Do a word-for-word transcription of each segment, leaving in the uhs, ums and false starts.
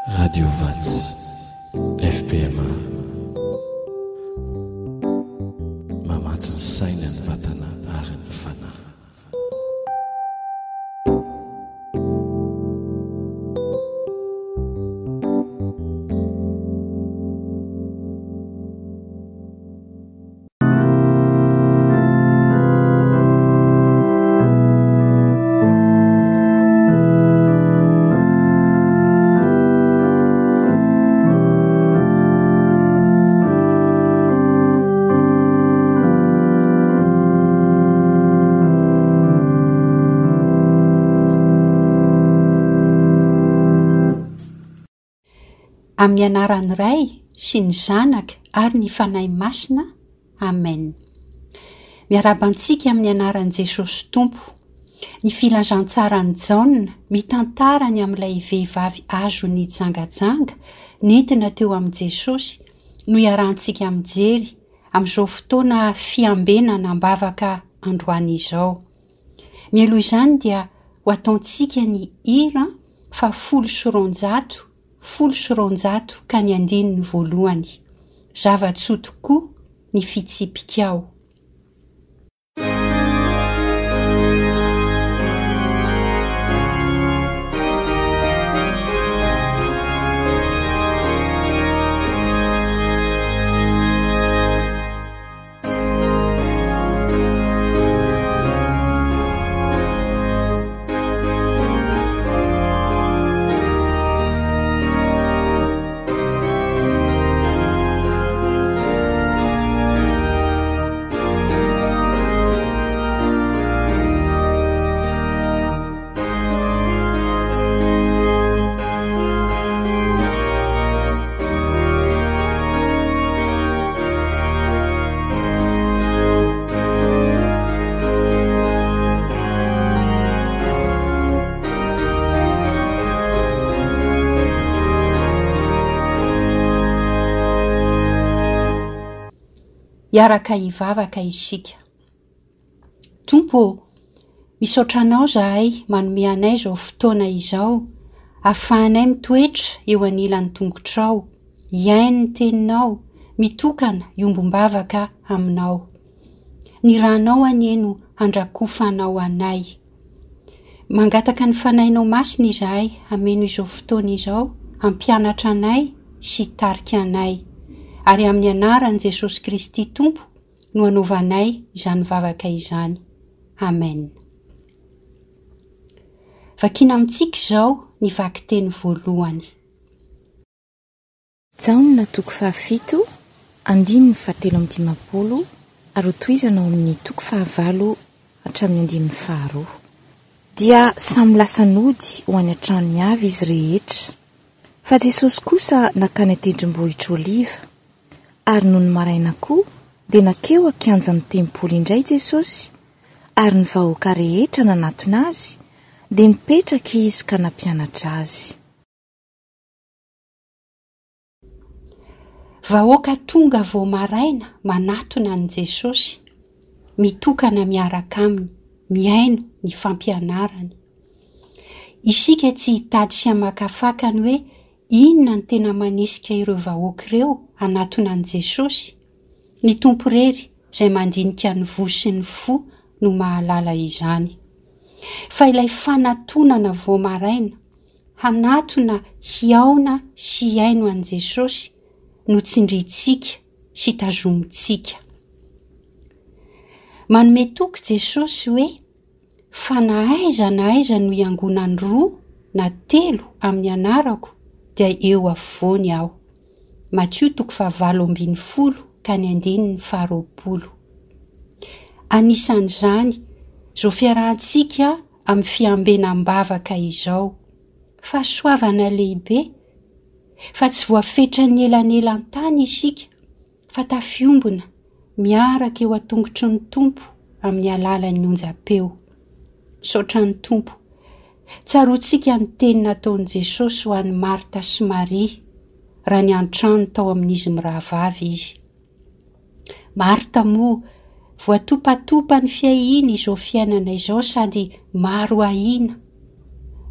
Radio Vatsy F P M A mamatsy ny saina, ny vatana ary ny fanahy. Amin'ny anaran'ny Ray sy ny Zanaka ary ny Fanahy Masina. Amen. Miarahaba antsika amin'ny anaran'i Jesosy Tompo. Ny filazantsaran'i Jaona mitantara ny amin'ilay vehivavy azo nijangajanga nentina teo amin'i Jesosy no iarahantsika mijery amin'izao fotoana fiambenana am-bavaka androany izao. Mialoha izany dia ho ataontsika ny hira fa folo sy roanjato, folo sy roanjato ka ny andininy voalohany. Zava-tsoa tokoa ny fitsipikao. Hiaraka hivavaka isika. Tompo ô, misaotra Anao izahay manome anay izao fotoana izao, ahafahanay mitoetra eo anilan'ny tongotrao, hihaino ny teninao, mitokana hiombom-bavaka aminao. Ny ranao anie no handrakofanao anay. Mangataka ny Fanahinao Masina izahay hameno izao fotoana izao, hampianatra anay sy hitarika anay. Ary amin'ny anaran'i Jesosy Kristy Tompo no anaovanay izany vavaka izany. Amen. Vakina amintsika izao ny vakiteny voalohany. Jaona toko fahafito, andininy fahatelo amby dimampolo ary hotohizana ao amin'ny toko fahavalo hatramin'ny andininy faharoa. Dia samy lasa nody ho any an-tranony avy izy rehetra. Fa Jesosy kosa nankany an-tendrombohitra Oliva. Ary nony maraina koa dia nankeo an-kianjan'ny tempoly indray Jesosy, ary ny vahoaka rehetra nanatona azy, dia nipetraka izy ka nampianatra azy. Vahoaka tonga vao maraina manatona an'i Jesosy, mitokana miaraka aminy, mihaino ny fampianarany. Isika tsy hitady sy hamakafaka ny hoe inona no tena manesika ireo vahoaka ireo hanatona an'i Jesosy. Ny Tompo irery izay mandinika ny voa sy ny fo no mahalala izany. Fa ilay fanatonana vao maraina, hanatona hihaona sy hihaino an'i Jesosy no tsindrintsika sy tazomintsika. Manome toky Jesosy hoe fa na aiza na aiza no hiangonan'ny roa na telo amin'ny anarako dia eo afovoany aho. Matio toko fahavalo ambin'ny folo ka ny andininy faharoapolo. Anisan'izany izao fiarahantsika amin'ny fiambenam-bavaka izao. Fahasoavana lehibe fa tsy voafetran'ny elanelan-tany isika fa tafiombona miaraka eo an-tongotry ny Tompo amin'ny alalan'ny onjam-peo. Misaotra ny Tompo. Tsaroantsika ny teny nataon'i Jesosy ho an'i Marta sy Maria raha niantrano tao amin'izy mirahavavy izy. Marta moa voatopatopa ny fiahiana izao fiainana izao sady maro ahiana.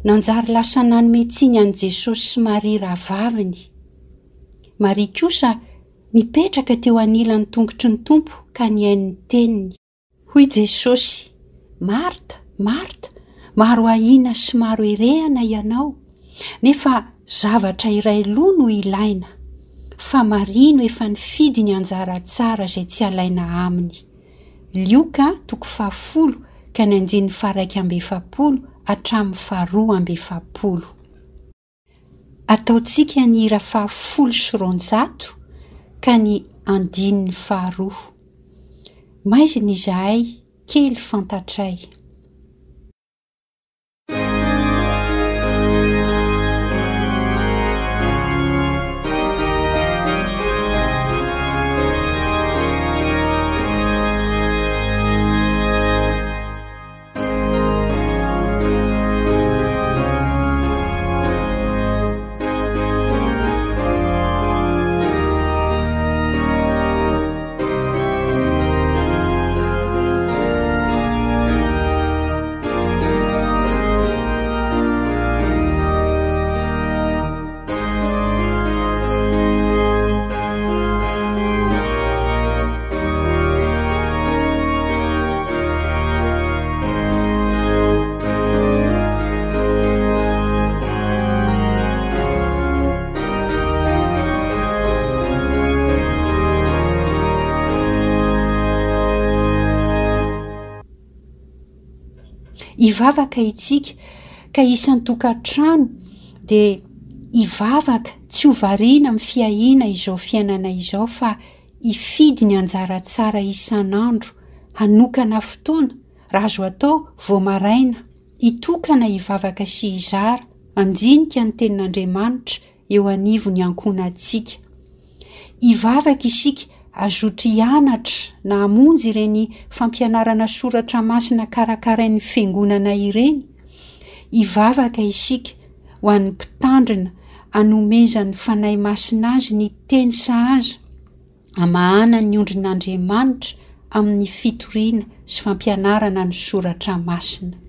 Nanjary lasa nanome tsiny an'i Jesosy sy Maria rahavaviny. Maria kosa nipetraka teo anilan'ny tongotry ny Tompo ka nihaino ny teniny. Hoy Jesosy, Marta, Marta, maro ahiana sy maro erehana ianao, nefa zavatra iray loha no ilaina, fa Maria no efa nifidy ny anjara tsara izay tsy alaina aminy. Lioka toko fahafolo ka ny andininy faha-iraika amby efapolo hatramin'ny faharoa amby efapolo. Ataontsika ny hira fahafolo sy roanjato ka ny andininy faharoa. Maizina izahay, kely fantatray. Hivavaka isika ka isan-tokantrano dia hivavaka tsy ho variana amin'ny fiahiana izao fiainana izao fa hifidy ny anjara tsara isan'andro, hanokana fotoana, raha azo atao vao maraina, hitokana hivavaka sy hizara, handinika ny tenin'Andriamanitra eo anivon'ny ankohonantsika. Hivavaka isika hazoto hianatra na hamonjy ireny fampianarana soratra masina karakarain'ny fiangonana ireny. Hivavaka isika ho an'ny mpitandrina hanomezan'ny Fanahy Masina azy ny teny sahaza hamahana ny ondrin'Andriamanitra amin'ny fitoriana sy fampianarana ny soratra masina.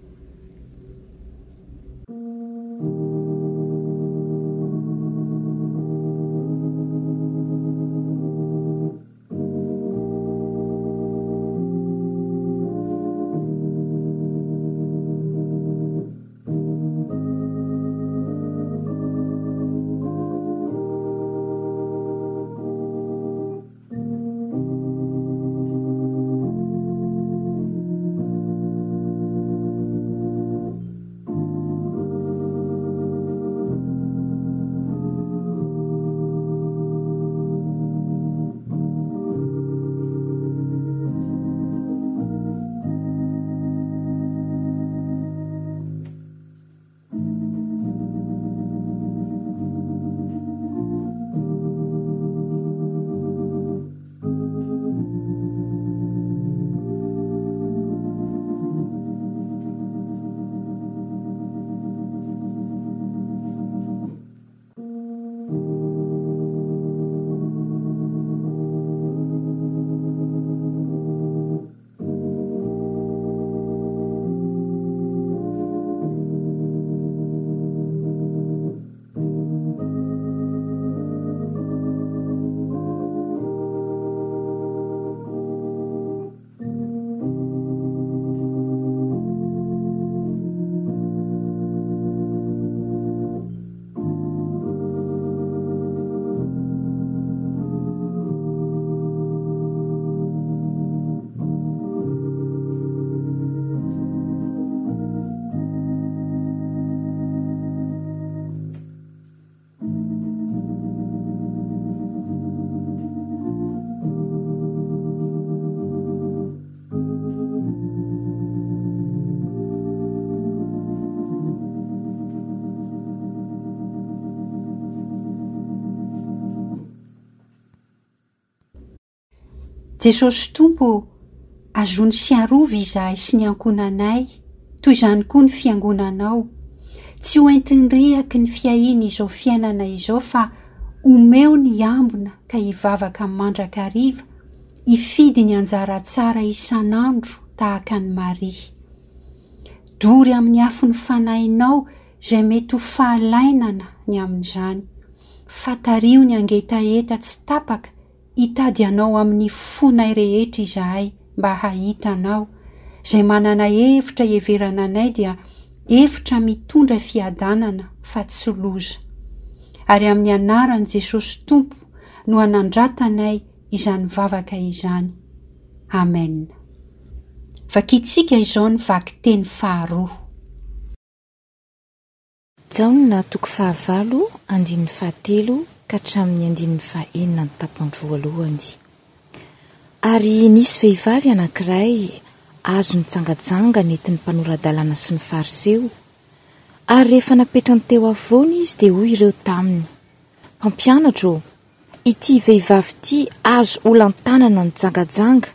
Jesosy Tompo ô, azony sy arovy izahay sy ny ankohonanay, toy izany koa ny fiangonanao. Tsy ho entin-driaky ny fiahiana izao fiainana izao fa omeo ny ambina ka hivavaka mandrakariva, hifidy ny anjara tsara isan'andro tahaka an'i Maria. Dory amin'ny afon'ny fanahinao izay mety ho fahalainana ny amin'izany. Fatario ny hangetaheta tsy tapaka hitady Anao amin'ny fonay rehetra izahay mba hahita Anao. Izay manana hevitra hiheverana anay dia hevitra mitondra fiadanana fa tsy loza. Ary amin'ny anaran'i Jesosy Tompo no anandratanay izany vavaka izany. Amen. Vakintsika izao ny vakiteny faharoa. Jaona toko fahavalo andininy fahatelo ka hatramin'ny andininy fahenina ny tapany voalohany. Ary nisy vehivavy anankiray azo nijangajanga nentin'ny mpanora-dalàna sy ny fariseo. Ary rehefa napetrany teo afovoany izy dia hoy ireo taminy: Mpampianatra ô, ity vehivavy ity azo olan-tanana nijangajanga,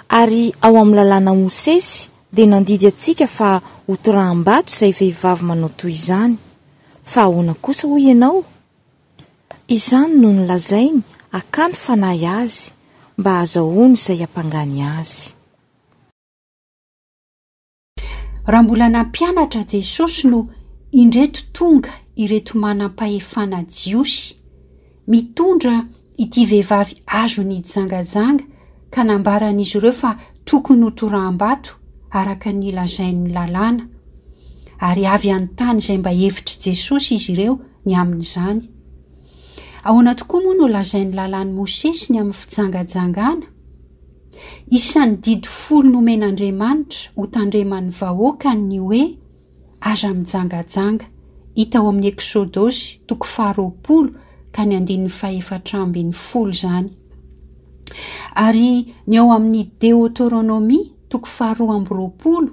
ary ao amin'ny lalàna Mosesy dia nandidy antsika fa hotoraham-bato izay vehivavy manao toy izany. Fa ahoana kosa hoy ianao? Izany no nolazainy hakany fanahy azy mba hahazahoany izay hampangany azy. Raha mbola nampianatra Jesosy no indreto tonga ireto manam-pahefana jiosy mitondra ity vehivavy azo nijangajanga ka nambaran'izy ireo fa tokony ho toraham-bato araka ny lazain'ny lalàna. Ary avy hanontany izay mba hevitr'i Jesosy izy ireo ny amin'izany. Ahoana tokoa moa no lazain'ny lalàn'i Mosesy ny amin'ny fijangajangana? Isan'ny didy folo nomen'Andriamanitra ho tandreman'ny vahoaka ny hoe aza mijangajanga, hita ao amin'ny Eksodosy toko faharoapolo ka ny andininy fahefatra ambin'ny folo izany. Ary ny ao amin'ny Deoteronomia toko faharoa amby roapolo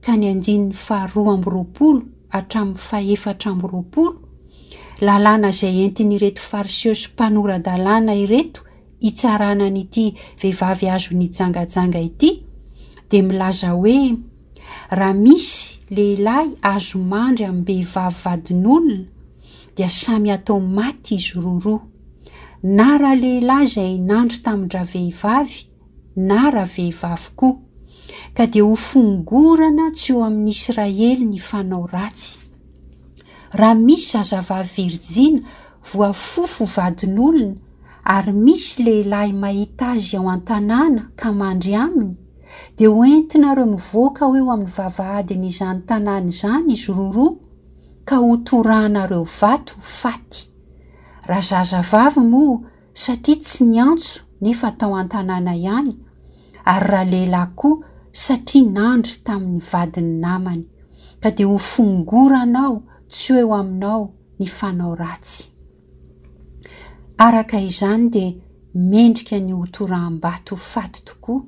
ka ny andininy faharoa amby roapolo hatramin'ny fahefatra amby roapolo, lalàna izay entin'ireto fariseo sy mpanora-dalàna ireto hitsarana an'ity vehivavy azo nijangajanga ity, dia milaza hoe raha misy lehilahy azo mandry amim-behivavy vadin'olona dia samy atao maty izy roroa, na raha lehilahy izay nandry tamin-dravehivavy na ravehivavy koa, ka dia ho fongorana tsy eo amin'ny Israely ny fanao ratsy. Raha misy zazavavy virjina voafofo vadin'olona ary misy lehilahy mahita azy ao an-tanàna ka mandry aminy, dia hoentinareo mivoaka ho eo amin'ny vavahadin'izany tanàna izany izy roroa ka ho torahanareo vato faty. Raha zazavavy moa satria tsy niantso nefa tao an-tanàna ihany, ary raha lehilahy koa satria nandry tamin'ny vadin'ny namany, ka dia ho fongoranao tsy ho eo aminao ny fanao ratsy. Araka izany dia mendrika ny ho toraham-bato faty tokoa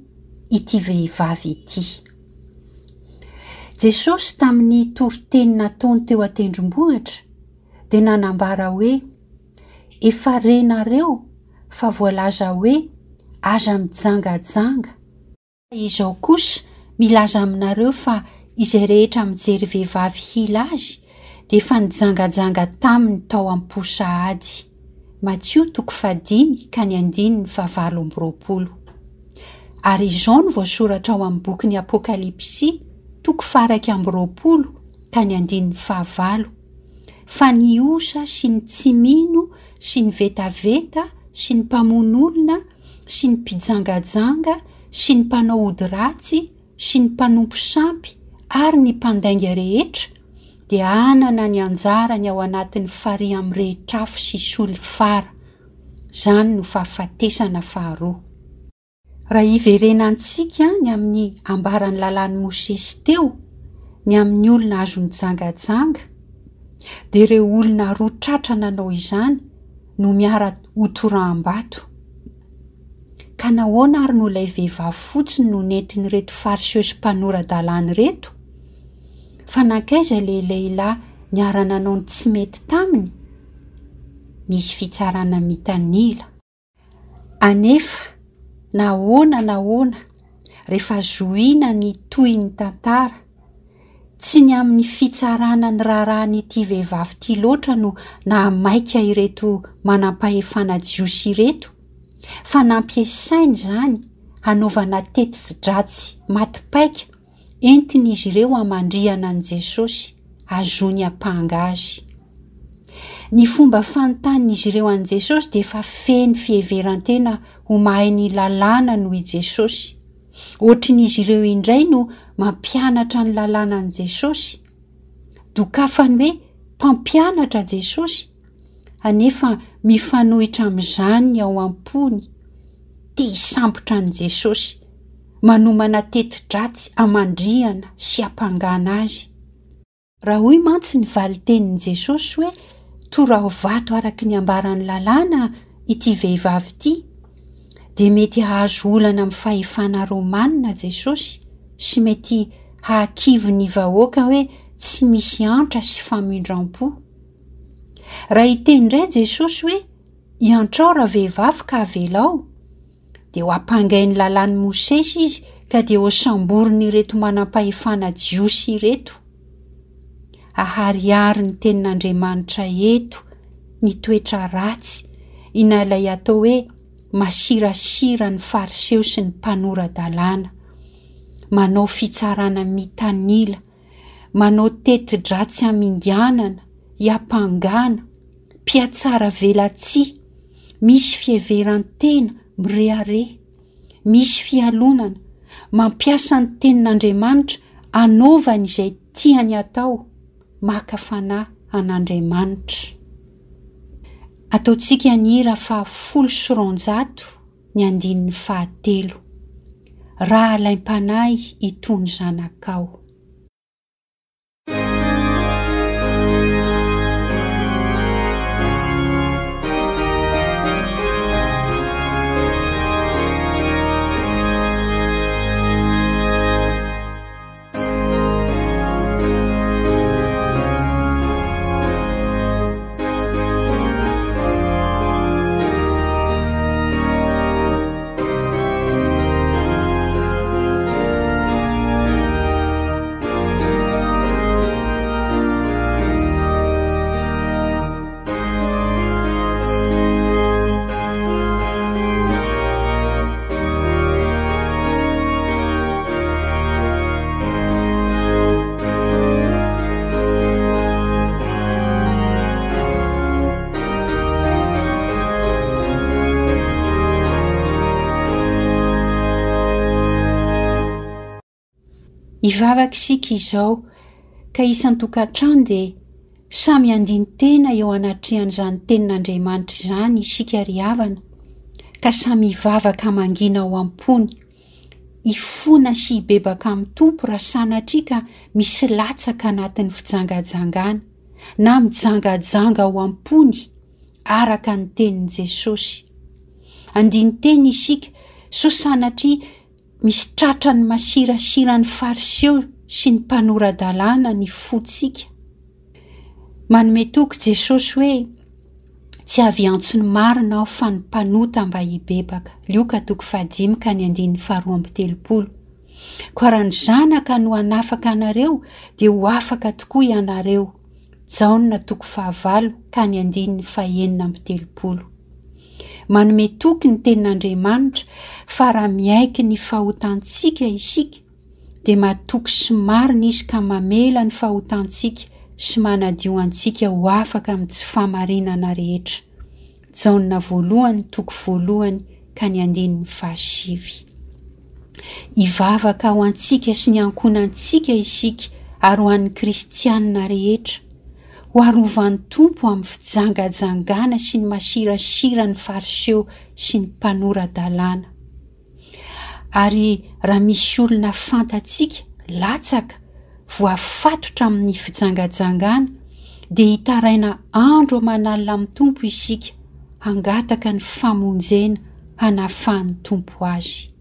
ity vehivavy ity. Jesosy tamin'ny toriteny nataony teo an-tendrombohitra dia nanambara hoe efa renareo fa voalaza hoe aza mijangajanga. Izao kosa milaza aminareo fa izay rehetra mijery vehivavy hila azy dia efa nijangajanga taminy tao am-po sahady. Matio toko fahadimy ka ny andininy fahavalo amby roapolo. Ary izao no voasoratra ao amin'ny bokin'ny Apokalypsy toko faha-iraika amby roapolo ka ny andininy fahavalo, fa ny osa sy ny tsy mino sy ny vetaveta sy ny mpamono olona sy ny mpijangajanga sy ny mpanao ody ratsy sy ny mpanompo sampy ary ny mpandainga rehetra dia hanana ny anjarany ao anatin'ny farihy mirehitra afo sy solifara. Izany no fahafatesana faharoa. Raha hiverenantsika ny amin'ny ambaran'ny lalàn'i Mosesy teo, ny amin'ny olona azo nijangajanga, dia ireo olona roa tratra nanao izany no miara-hotoraham-bato. Ka nahoana ary no ilay vehivavy fotsiny no nentin'ireto fariseo sy mpanora-dalàna ireto? Fa nankaiza ilay lehilahy niara-nanao ny tsy mety taminy? Misy fitsarana mitanila. Anefa, nahoana nahoana, rehefa zohiana ny tohin'ny tantara, tsy ny amin'ny fitsarana ny raharahan'ity vehivavy ity loatra no nahamaika ireto manam-pahefana jiosy ireto, fa nampiasainy izany hanaovana teti-dratsy maty paika entin'izy ireo hamandrihana an'i Jesosy hahazoany hampanga azy. Ny fomba fanontanin'izy ireo an'i Jesosy dia efa feno fiheveran-tena ho mahay ny lalàna noho i Jesosy. Ohatrin'izy ireo indray no mampianatra ny lalàna an'i Jesosy. Dokafany hoe mpampianatra Jesosy, anefa mifanohitra amin'izany ny ao am-pony. Te hisambotra an'i Jesosy, manomana teti-dratsy hamandrihana sy hampangana azy. Raha hoy mantsy ny valin-tenin'i Jesosy hoe toraho vato araka ny ambaran'ny lalàna ity vehivavy ity, dia mety hahazo olana amin'ny fahefana romanina Jesosy sy mety hahakivy ny vahoaka hoe tsy misy antra sy famindram-po. Raha hiteny indray Jesosy hoe iantrao ravehivavy ka avelao, dia ho ampangain'ny lalàn'i Mosesy izy ka dia ho samborin'ireto manam-pahefana jiosy ireto. Aharihary ny tenin'Andriamanitra eto ny toetra ratsy ina ilay atao hoe masirasira ny fariseo sy ny mpanora-dalàna, manao fitsarana mitanila, manao teti-dratsy haminganana, hiampangana, mpiatsara velatsihy, misy fiheveran-tena mirehareha, misy fialonana, mampiasa ny tenin'Andriamanitra anaovany izay tiany atao, maka fanahy an'Andriamanitra. Ataontsika ny hira fahafolo sy roanjato ny andininy fahatelo. Raha alaim-panahy itony zanakao. Hivavaka isika izao ka isan-tokantrano dia samy handini-tena eo anatrehan'izany tenin'Andriamanitra izany isika ry havana, ka samy hivavaka mangina ao am-pony, hifona sy hibebaka amin'ny Tompo raha sanatria ka misy latsaka anatin'ny fijangajangana na mijangajanga ao am-pony araka ny tenin'i Jesosy. Handini-tena isika sao sanatria misy tratra ny masirasiran'ny fariseo sy ny mpanora-dalàna ny fontsika. Manome toky Jesosy hoe tsy avy hiantso ny marina aho fa ny mpanota mba hibebaka. Lioka toko fahadimy ka ny andininy faharoa amby telopolo. Koa raha ny zanaka no hanafaka anareo dia ho afaka tokoa ianareo. Jaona toko fahavalo ka ny andininy fahenina amby telopolo. Manome toky ny tenin'Andriamanitra fa raha miaiky ny fahotantsika isika dia matoky sy marina izy ka mamela ny fahotantsika sy manadio antsika ho afaka amin'ny tsy fahamarinana rehetra. Jaona voalohany toko voalohany ka ny andininy fahasivy. Hivavaka ho antsika sy ny ankohonantsika isika ary ho an'ny kristianina rehetra. Ho arovan'ny Tompo amin'ny fijangajangana sy ny masirasiran'ny fariseo sy ny mpanora-dalàna. Ary raha misy olona fantatsika latsaka voafatotra amin'ny fijangajangana dia hitaraina andro aman'alina amin'ny Tompo isika hangataka ny famonjena hanafahan'ny Tompo azy.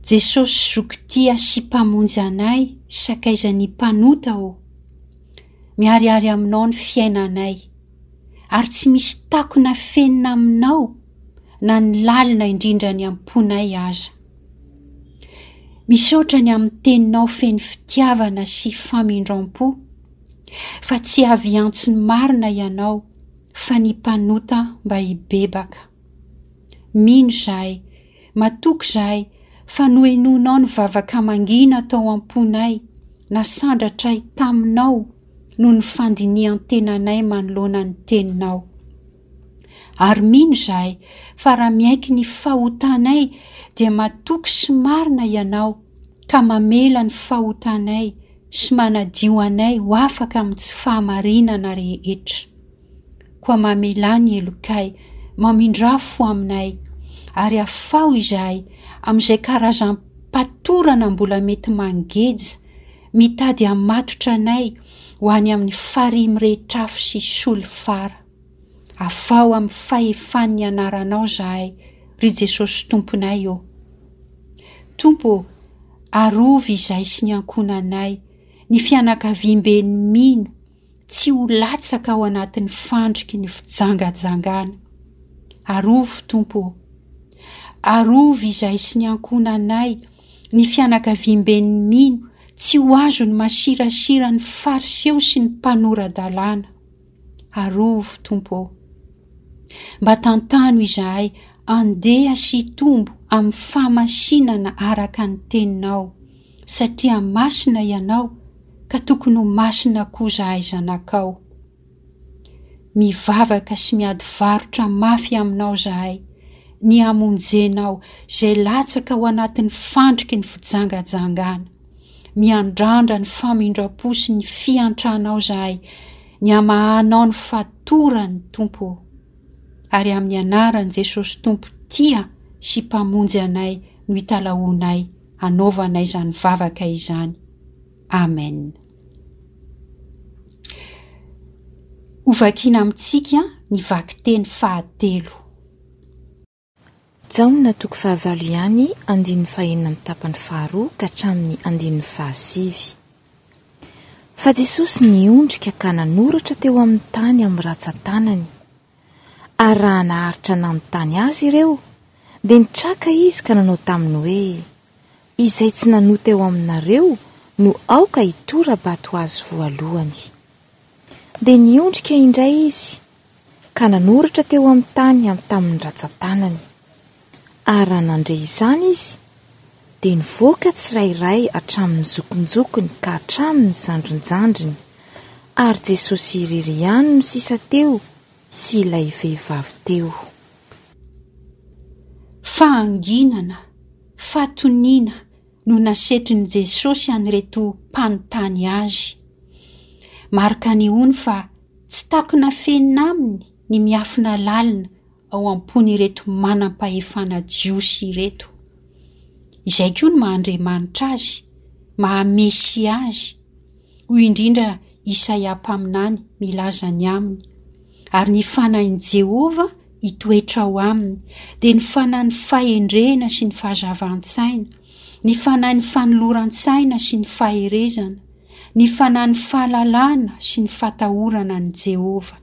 Jesosy Zoky tia sy Mpamonjy anay, sakaizan'ny mpanota ô! Miharihary aminao ny fiainanay, ary tsy misy takona afenina aminao na ny lalina indrindra any am-ponay aza. Misaotra ny amin'ny teninao feno fitiavana sy famindram-po, fa tsy avy hiantso ny marina ianao fa ny mpanota mba hibebaka. Mino izahay, matoky izahay fa nohenoinao ny vavaka mangina tao am-ponay, nasandratray taminao noho ny fandinihan-tenanay manoloana ny teninao. Ary mino izahay fa raha miaiky ny fahotanay dia matoky sy marina ianao ka mamela ny fahotanay sy manadio anay ho afaka amin'ny tsy fahamarinana rehetra. Koa mamelà ny helokay, mamindrà fo aminay, ary afaho izahay amin'izay karazam-patorana mbola mety mangeja, mitady hamatotra anay ho any amin'ny farihy mirehitr'afo sy solifara. Afaho amin'ny fahefan'ny anaranao izahay, ry Jesosy Tomponay ô. Tompo ô, arovy izahay sy ny ankohonanay, ny fianakaviamben'ny mino, tsy ho latsaka ao anatin'ny fandriky ny fijangajangana. Arovy, Tompo ô. Arovy izahay sy ny ankohonanay, ny fianakaviamben'ny mino, tsy ho azon'ny masirasiran'ny Fariseo sy ny mpanora-dalàna. Arovy, Tompo ô. Mba tantano izahay andeha sy hitombo amin'ny fahamasinana araka ny teninao, satria masina ianao ka tokony ho masina koa izahay zanakao. Mivavaka sy miady varotra mafy aminao izahay, ny hamonjenao izay latsaka ao anatin'ny fandriky ny fijangajangana. Miandrandra ny famindram-po sy ny fiantranao izahay, ny hamahanao ny fatorany, Tompo ô. Ary amin'ny anaran'i Jesosy Tompo tia sy Mpamonjy anay no italahoanay hanaovanay izany vavaka izany. Amen. Hovakiana amintsika ny vakiteny fahatelo. Jaona toko fahavalo ihany, andininy fahenina amin'ny tapany faharoa ka hatramin'ny andininy fahasivy. Fa Jesosy niondrika ka nanoratra teo amin'ny tany amin'ny ratsan-tanany. Ary raha naharitra nanontany azy ireo, dia nitraka izy ka nanao taminy hoe, Izay tsy nanota eo aminareo no aoka hitora-bato azy voalohany. Dia niondrika indray izy ka nanoratra teo amin'ny tany tamin'ny ratsan-tanany. Ary raha nandre izany izy, dia nivoaka tsirairay hatramin'ny zokinjokiny ka hatramin'ny zandrinjandriny, ary Jesosy irery ihany no sisa teo sy ilay vehivavy teo. Fahanginana, fahatoniana no nasetrin'i Jesosy an'ireto mpanontany azy. Marika anehoany fa tsy takona afenina aminy ny miafina lalina ao am-pon'ireto manam-pahefana jiosy ireto. Izay koa no maha Andriamanitra azy, maha Mesia azy. Hoy indrindra Isaia mpaminany milaza ny aminy. Ary ny fanahin'i Jehovah hitoetra ao aminy, dia ny fanahin'ny fahendrena sy ny fahazavan-tsaina, ny fanahin'ny fanoloran-tsaina sy ny faherezana, ny fanahin'ny fahalalana sy ny fatahorana an'i Jehovah.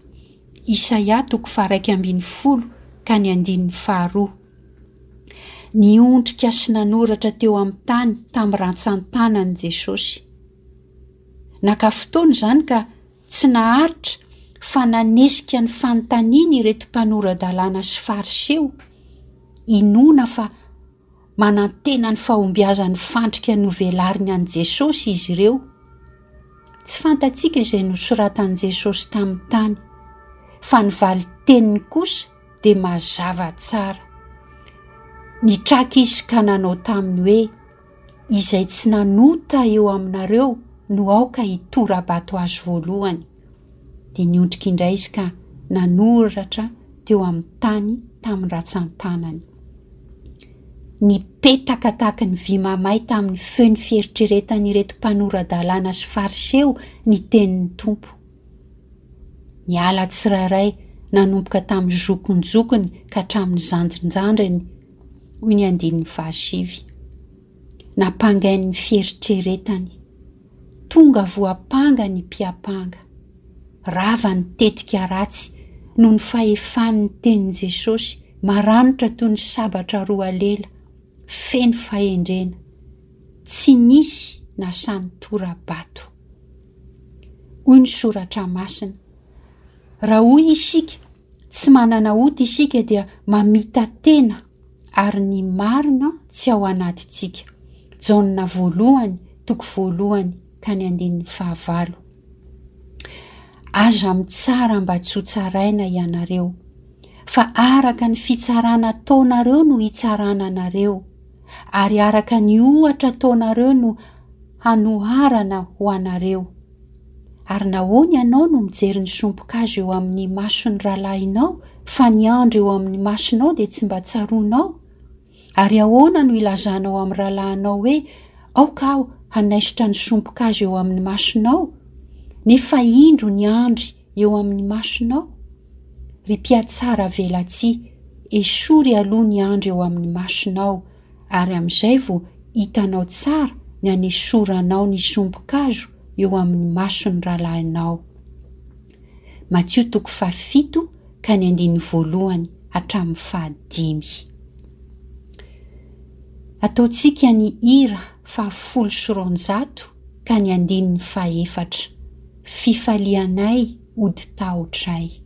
Isaia toko faharaika ambin'ny folo ka ny andininy faharoa. Niondrika sy nanoratra teo amin'ny tany tamin'ny rantsan-tanany Jesosy. Naka fotoana izany ka tsy naharitra fa nanesika ny fanontaniany ireto mpanora-dalàna sy Fariseo. Inoana fa manantena ny fahombiazan'ny fandrika novelariny an'i Jesosy izy ireo. Tsy fantatsika izay nosoratan'i Jesosy tamin'ny tany, fa ny valin-teniny kosa dia mazava tsara. Nitraka izy ka nanao taminy hoe, Izay tsy nanota eo aminareo no aoka hitora-bato azy voalohany. Dia niondrika indray izy ka nanoratra teo amin'ny tany tamin'ny ratsan-tanany. Nipetaka tahaka ny vy mamay tamin'ny feon'ny fieritreretan'ireto mpanora-dalàna sy Fariseo ny tenin'ny Tompo. Niala tsirairay nanomboka tamin'ny zokinjokiny ka hatramin'ny zandrinjandriny, hoy ny andininy fahasivy. Nampangain'ny fieritreretany. Tonga voampanga ny mpiampanga. Rava ny tetika ratsy noho ny fahefan'ny tenin'i Jesosy maranitra toy ny sabatra roa lela, feno fahendrena. Tsy nisy nasahy nitora-bato. Hoy ny soratra masina, Raha hoy isika, tsy manana ota isika dia mamita-tena ary ny marina tsy ao anatintsika. Jaona voalohany, toko voalohany ka ny andininy fahavalo. Aza mitsara mba tsy ho tsaraina ianareo, fa araka ny fitsarana ataonareo no hitsarana anareo, ary araka ny ohatra ataonareo no hanoharana ho anareo. Ary nahoana ianao no mijery ny sompin-kazo eo amin'ny mason'ny rahalahinao, fa ny andry eo amin'ny masonao dia tsy mba tsaroanao? Ary ahoana no ilazanao amin'ny rahalahinao hoe, Aoka aho hanaisotra ny sompin-kazo eo amin'ny masonao, nefa indro ny andry eo amin'ny masonao? Ry mpihatsara velatsihy, esory aloha ny andry eo amin'ny masonao, ary amin'izay vao hitanao tsara ny hanesoranao ny sompin-kazo eo amin'ny mason'ny rahalahinao. Matio toko fahafito ka ny andininy voalohany hatramin'ny fahadimy. Ataontsika ny hira fahafolo sy roanjato ka ny andininy fahefatra. Fifalianay hody tahotray.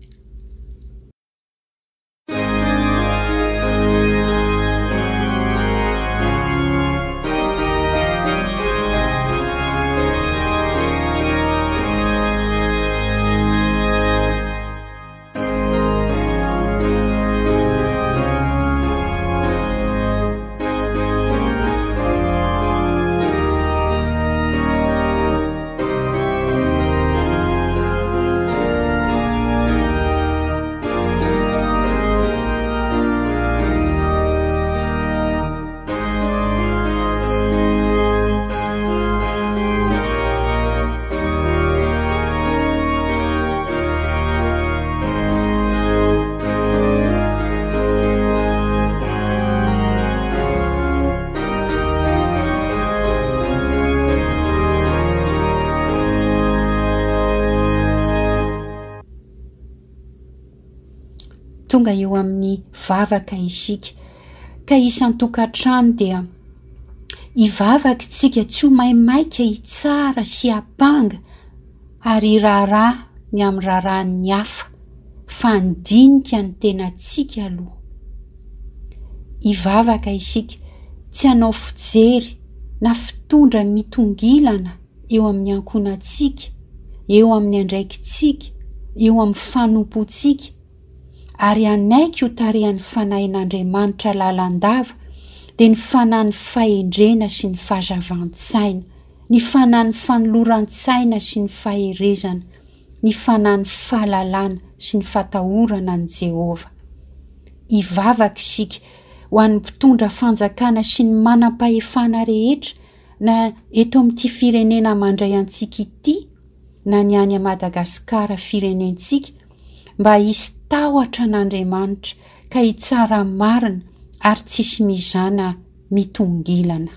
Tonga eo amin'ny vavaka isika, ka isan-tokantrano dia hivavaka isika tsy ho maimaika hitsara sy hampanga ary hiraharaha ny amin'ny raharahan'ny hafa, fa handinika ny tenantsika aloha. Hivavaka isika tsy hanao fijery na fitondra mitongilana eo amin'ny ankohonantsika, eo amin'ny andraikitsika, eo amin'ny fanompoantsika, ary hanaiky ho tarihan'ny Fanahin'Andriamanitra lalandava, dia ny fanahin'ny fahendrena sy ny fahazavan-tsaina, ny fanahin'ny fanoloran-tsaina sy ny faherezana, ny fanahin'ny fahalalana sy ny fatahorana an'i Jehovah. Hivavaka isika ho an'ny mpitondra fanjakana sy ny manam-pahefana rehetra na eto amin'ity firenena mandray antsika ity na ny any Madagasikara firenentsika mba hisy tahotra an'Andriamanitra ka hitsara marina ary tsisy mizana mitongilana.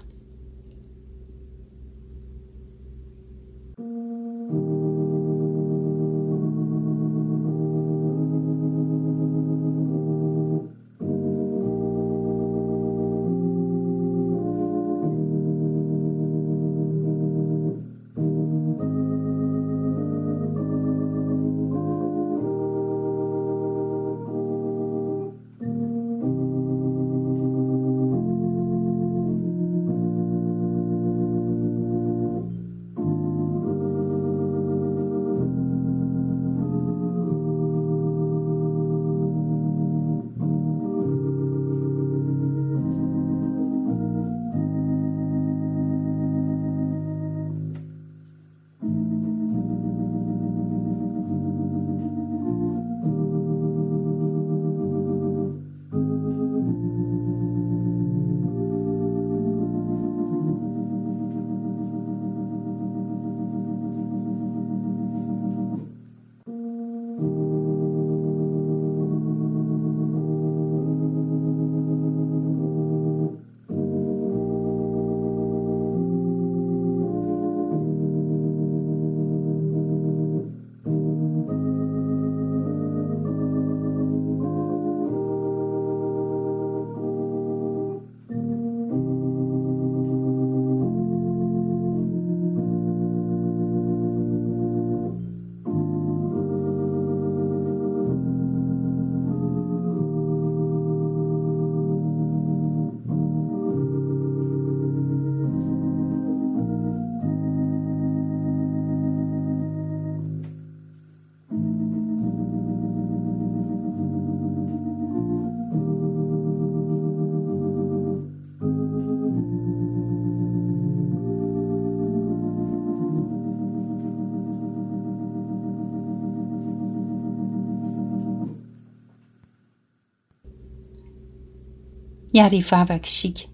Hiara-hivavaka isika.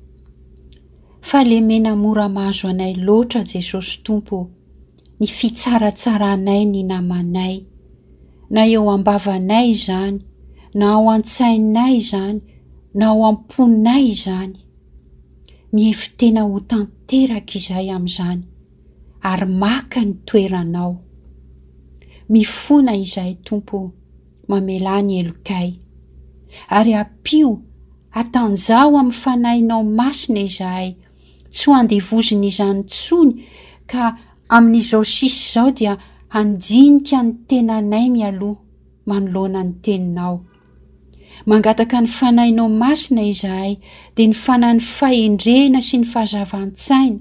Fahalemena mora mahazo anay loatra Jesosy Tompo ô, ny fitsaratsaranay ny namanay, na eo am-bavanay izany, na ao an-tsainay izany, na ao am-ponay izany. Mihevi-tena ho tanteraka izahay amin'izany ary maka ny toeranao. Mifona izahay Tompo ô, mamelà ny helokay. Ary ampio, hatanjaho amin'ny Fanahinao Masina izahay, tsy ho andevozin'izany intsony ka amin'izao sisa izao dia handinika ny tenanay mialoha manoloana ny Teninao. Mangataka ny Fanahinao Masina izahay, dia ny Fanahin'ny fahendrena sy ny fahazavan-tsaina,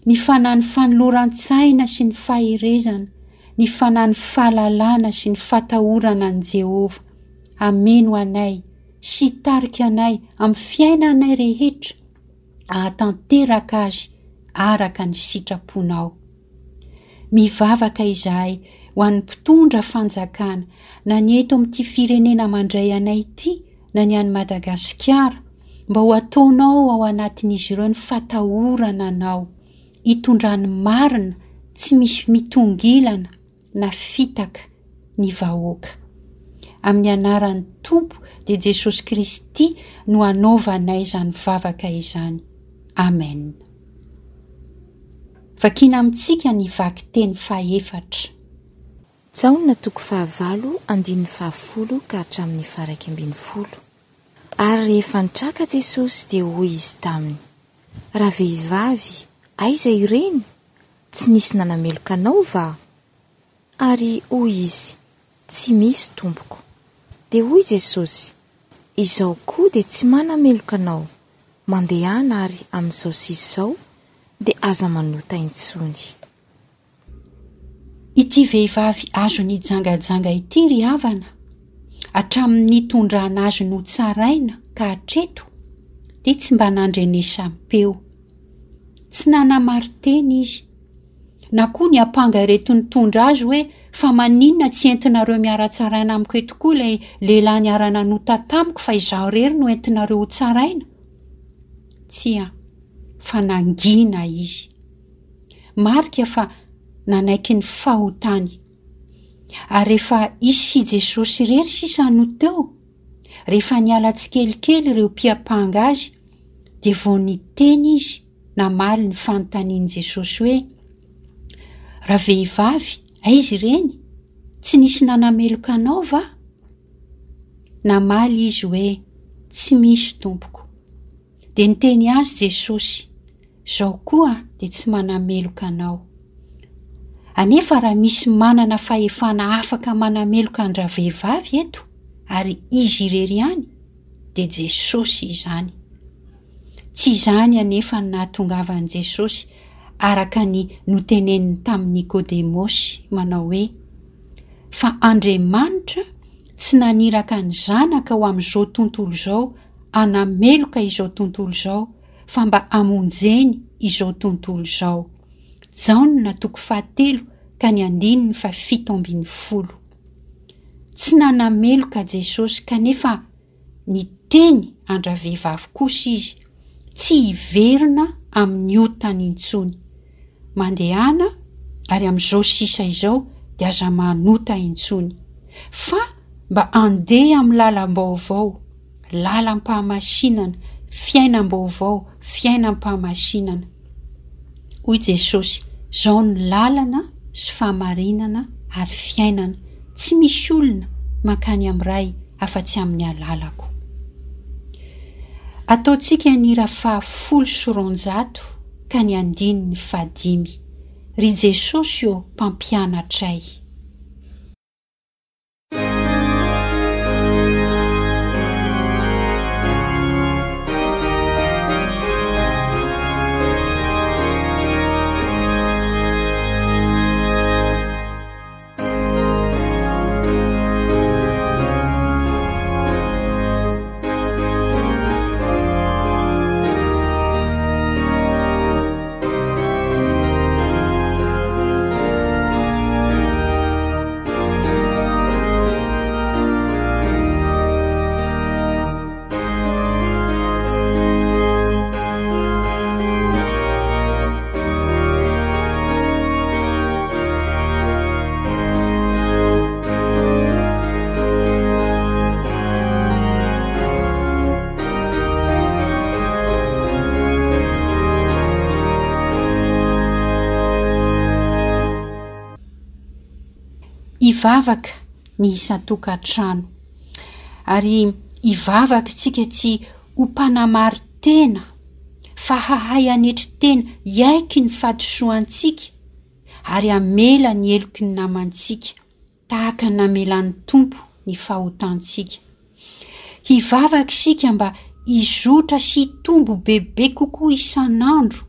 ny Fanahin'ny fanoloran-tsaina sy ny faherezana, ny Fanahin'ny fahalalana sy ny fatahorana an'i Jehovah. Hameno anay sy hitarika anay amin'ny fiainanay rehetra hahatanteraka azy araka ny sitraponao. Mivavaka izahay ho an'ny mpitondra fanjakana, na ny eto amin'ity firenena mandray anay ity na ny any Madagasikara, mba ho ataonao ao anatin'izy ireo ny fatahorana anao, hitondrany marina tsy misy mitongilana na fitaka ny vahoaka. Amin'ny anaran'ny Tompo dia Jesosy Kristy no anaovanay izany vavaka izany. Amen. Vakiana amintsika ny vakiteny fahefatra. Jaona toko fahavalo andininy fahafolo ka hatramin'ny faharaika ambin'ny folo. Ary rehefa nitraka Jesosy dia hoy Izy taminy, Ravehivavy, aiza ireny? Tsy nisy nanameloka anao va? Ary hoy izy, Tsy misy, Tompoko. Dia hoy Jesosy, Izaho koa dia tsy manameloka anao, mandehana ary amin'izao sisa izao dia aza manota intsony. Ity vehivavy azo nijangajanga ity ry havana, hatramin'ny nitondrana azy notsaraina ka hatreto dia tsy mba nandrenesam-peo. Tsy nanamarin-tena izy, na koa niampanga ireto nitondra azy hoe fa maninona tsy entinareo miara-tsaraina amiko eto koa ilay lehilahy niara-nanota tamiko fa izaho irery no entinareo hotsaraina? Tsia, fa nangina izy. Marika fa nanaiky ny fahotany. Ary rehefa izy sy Jesosy irery sisa no teo, rehefa niala tsikelikely ireo mpiampanga azy, dia vao niteny izy namaly ny fanontanian'i Jesosy hoe, Ravehivavy, aiza ireny? Tsy nisy nanameloka anao va? Namaly izy hoe, Tsy misy, Tompoko. Dia niteny azy Jesosy, Izao koa dia tsy manameloka anao. Anefa raha misy manana fahefana afaka manameloka an-dravehivavy eto, ary izy irery ihany, dia Jesosy izany. Tsy izany anefa no nahatongavan'i Jesosy araka ny noteneniny tamin'i Nikodemosy manao hoe, Fa Andriamanitra tsy naniraka ny Zanaka ho amin'izao tontolo izao hanameloka izao tontolo izao fa mba hamonjeny izao tontolo izao. Jaona toko fahatelo ka ny andininy fahafito ambin'ny folo. Tsy nanameloka Jesosy kanefa niteny an-dravehivavy kosa izy tsy hiverina amin'ny otany intsony. Mandehana ary amin'izao sisa izao dia aza manota intsony. Fa mba andeha amin'ny lalam-baovao, lalam-pahamasinana, fiainam-baovao, fiainam-pahamasinana. Hoy Jesosy, Izao no lalana sy fahamarinana ary fiainana, tsy misy olona mankany amin'ny Ray afa-tsy amin'ny alalako. Ataontsika ny hira fahafolo sy roanjato ka ny andininy fahadimy. Ry Jesosy ô Mpampianatray. Hivavaka ny isan-tokantrano. Ary hivavaka isika tsy ho mpanamari-tena fa hahay hanetry tena hiaiky ny fahadisoantsika ary hamela ny heloky ny namantsika tahaka ny namelan'ny Tompo ny fahotantsika. Hivavaka isika mba hizotra sy hitombo bebe kokoa isan'andro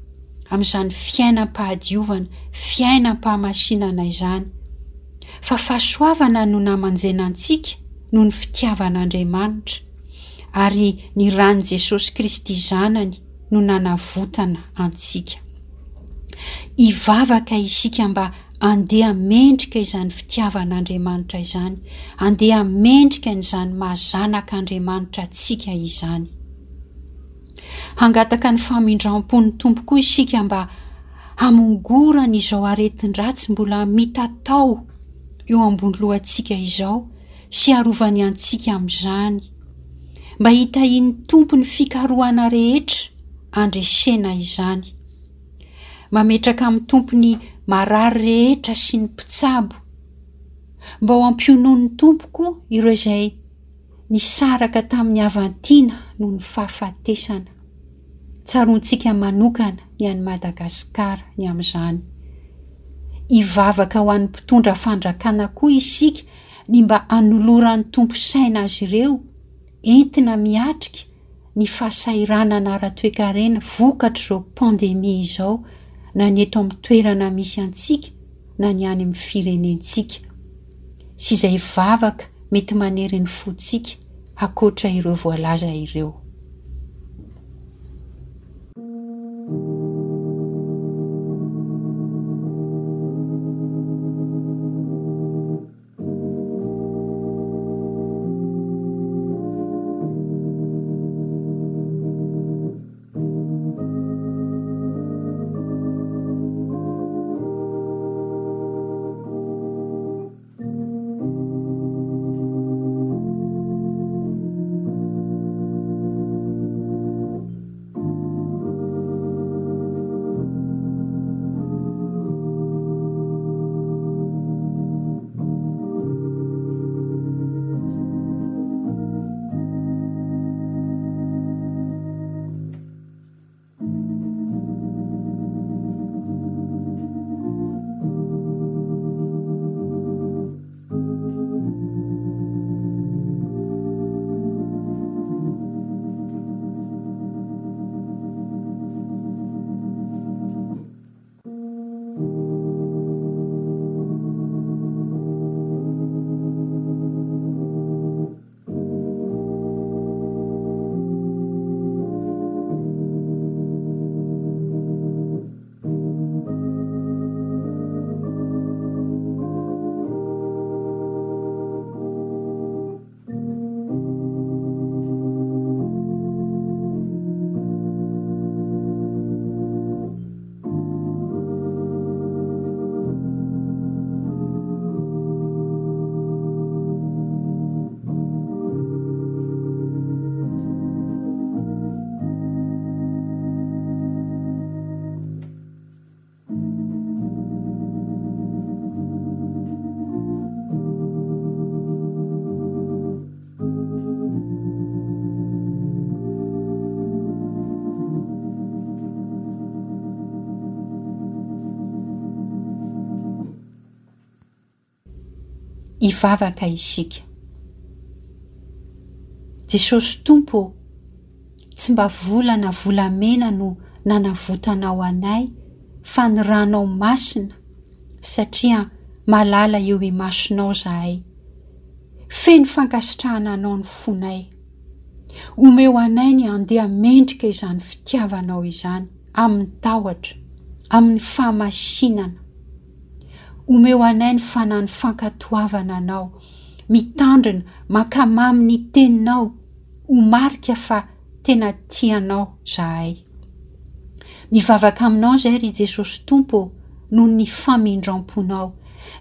amin'izany fiainam-pahadiovana, fiainam-pahamasinana izany. Fa fahasoavana no namanjena antsika noho ny fitiavan'Andriamanitra, ary ny ran'i Jesosy Kristy Zanany no nanavotana antsika. Hivavaka isika mba andeha mendrika izany fitiavan'Andriamanitra izany, andeha mendrika an'izany maha zanak'Andriamanitra antsika izany. Hangataka ny famindram-pon'ny Tompo koa isika mba hamongorany izao aretin-dratsy mbola mitatao eo ambony lohantsika izao sy harovany antsika amin'izany. Mba hitahian'ny Tompo ny fikarohana rehetra handresena izany. Mametraka amin'ny Tompo ny marary rehetra sy ny mpitsabo. Mba ho ampionoan'ny Tompo koa ireo izay nisaraka tamin'ny havan-tiana noho ny fahafatesana. Tsaroantsika manokana ny an'i Madagasikara ny amin'izany. Hivavaka ho an'ny mpitondra fandrakana koa isika ny mba hanoloran'ny Tompo saina azy ireo entina miatrika ny fahasahiranana ara-toekarena vokatr'izao pandemia izao na ny eto amin'ny toerana misy antsika na ny any amin'ny firenentsika. Sy izay vavaka mety manery ny fontsika ankoatra ireo voalaza ireo. Hivavaka isika. Jesosy Tompo ô, tsy mba vola na volamena no nanavotanao anay fa ny ranao masina satria malala eo imasonao zahay. Feno fankasitrahana anao ny fonay. Omeo anay ny handeha mendrika izany fitiavanao izany amin'ny tahotra, amin'ny fahamasinana. Omeo anay ny fanahy fankatoavana anao, mitandrina, mankamamy ny teninao, ho marika fa tena tianao zahay. Mivavaka aminao izay ry Jesosy Tompo ô, noho ny famindram-ponao,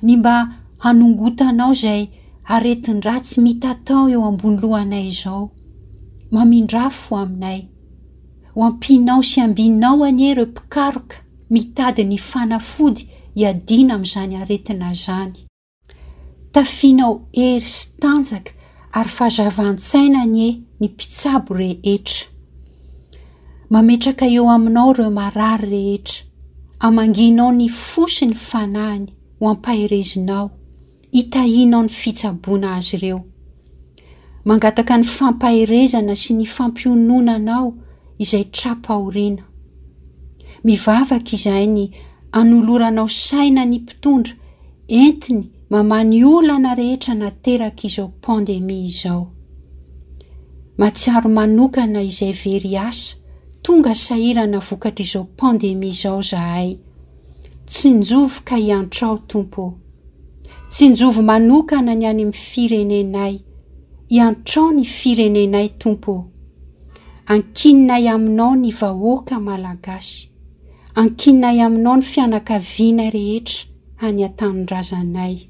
ny mba hanongotanao izay aretin-dratsy mitatao eo ambony lohanay izao. Mamindrafo aminay. Ho ampianao sy ambinao anie ireo mpikaroka mitady ny fanafody hiadiana amin'izany aretina izany. Tafianao hery sy tanjaka ary fahazavan-tsaina anie ny mpitsabo rehetra. Mametraka eo aminao ireo marary rehetra. Amangianao ny fo sy ny fanahiny ho ampaherezinao. Hitahianao ny fitsaboana azy ireo. Mangataka ny fampaherezana sy ny fampiononanao izay tra-pahoriana. Mivavaka izahay ny hanoloranao saina ny mpitondra entiny mamaha ny olana rehetra naterak'izao pandemia izao. Mahatsiaro manokana izay very asa, tonga sahirana vokatr'izao pandemia izao zahay. Tsinjovy ka hiantrao Tompo ô. Tsinjovy manokana ny any amin'ny firenenay. Iantrao ny firenenay Tompo ô. Ankininay aminao ny vahoaka malagasy. Ankininay aminao ny fianakavianay rehetra any an-tanindrazanay.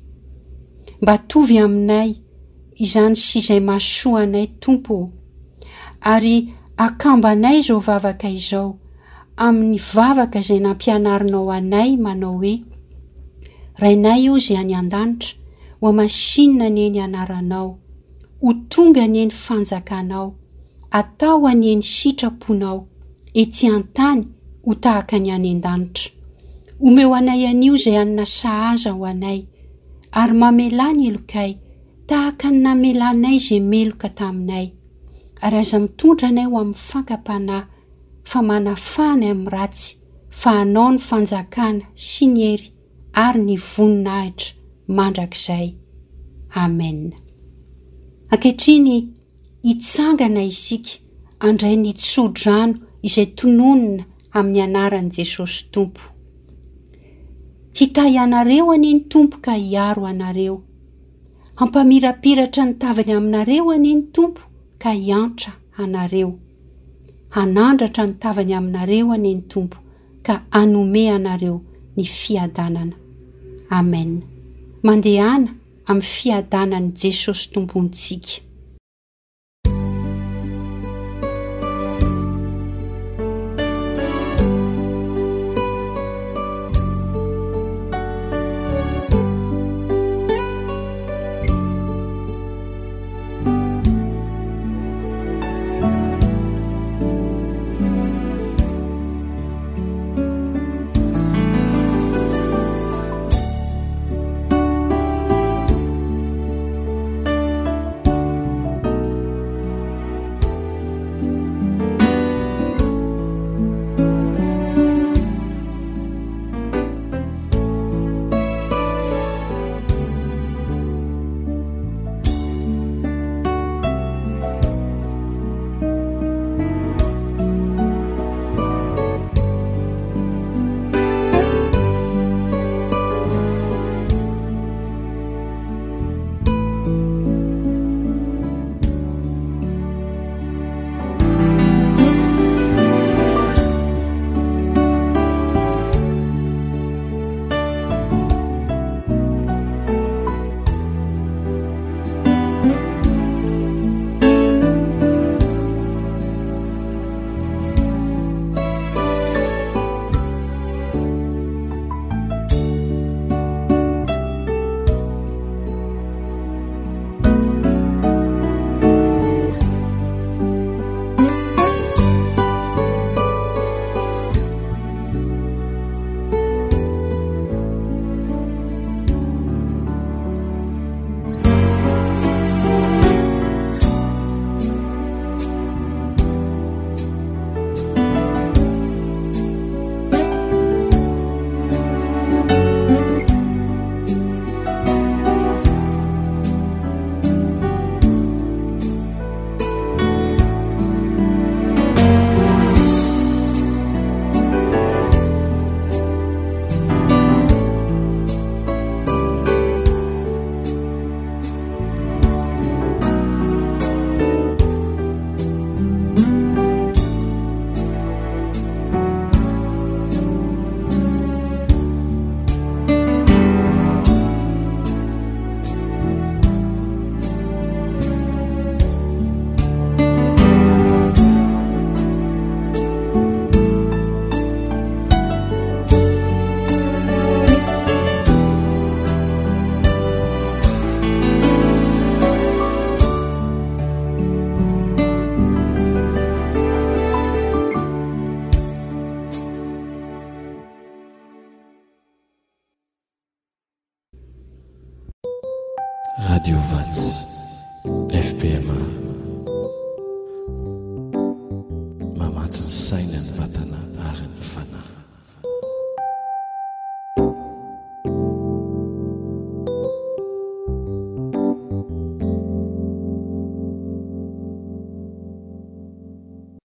Mba atovy aminay izany sy izay mahasoa anay Tompo ô. Ary akambanay izao vavaka izao amin'ny vavaka izay nampianarinao anay manao hoe, Rainay ô izay any an-danitra, hohamasinina anie ny anaranao. Ho tonga anie ny fanjakanao. Atao anie ny sitraponao, etsy an-tany ho tahaka ny any an-danitra. Omeo anay anio izay hanina sahaza ho anay, ary mamelà ny helokay, tahaka ny namelanay izay meloka taminay. Ary aza mitondra anay ho amin'ny fankam-panahy, fa manafaha anay amin'ny ratsy, fa anao ny fanjakana sy ny hery ary ny voninahitra mandrakizay. Amen. Ankehitriny hitsangana isika handray ny tso-drano izay tononina amin'ny anaran'i Jesosy Tompo. Hitahy anareo anie ny Tompo ka hiaro anareo. Hampamirapiratra ny tavany aminareo anie ny Tompo ka hiantra anareo. Hanandratra ny tavany aminareo anie ny Tompo ka hanome anareo ny fiadanana. Amen. Mandehana amin'ny fiadanan'i Jesosy Tompontsika. Radio Vatsy, FPMA. Mamatsy ny saina, ny vatana ary ny fanahy.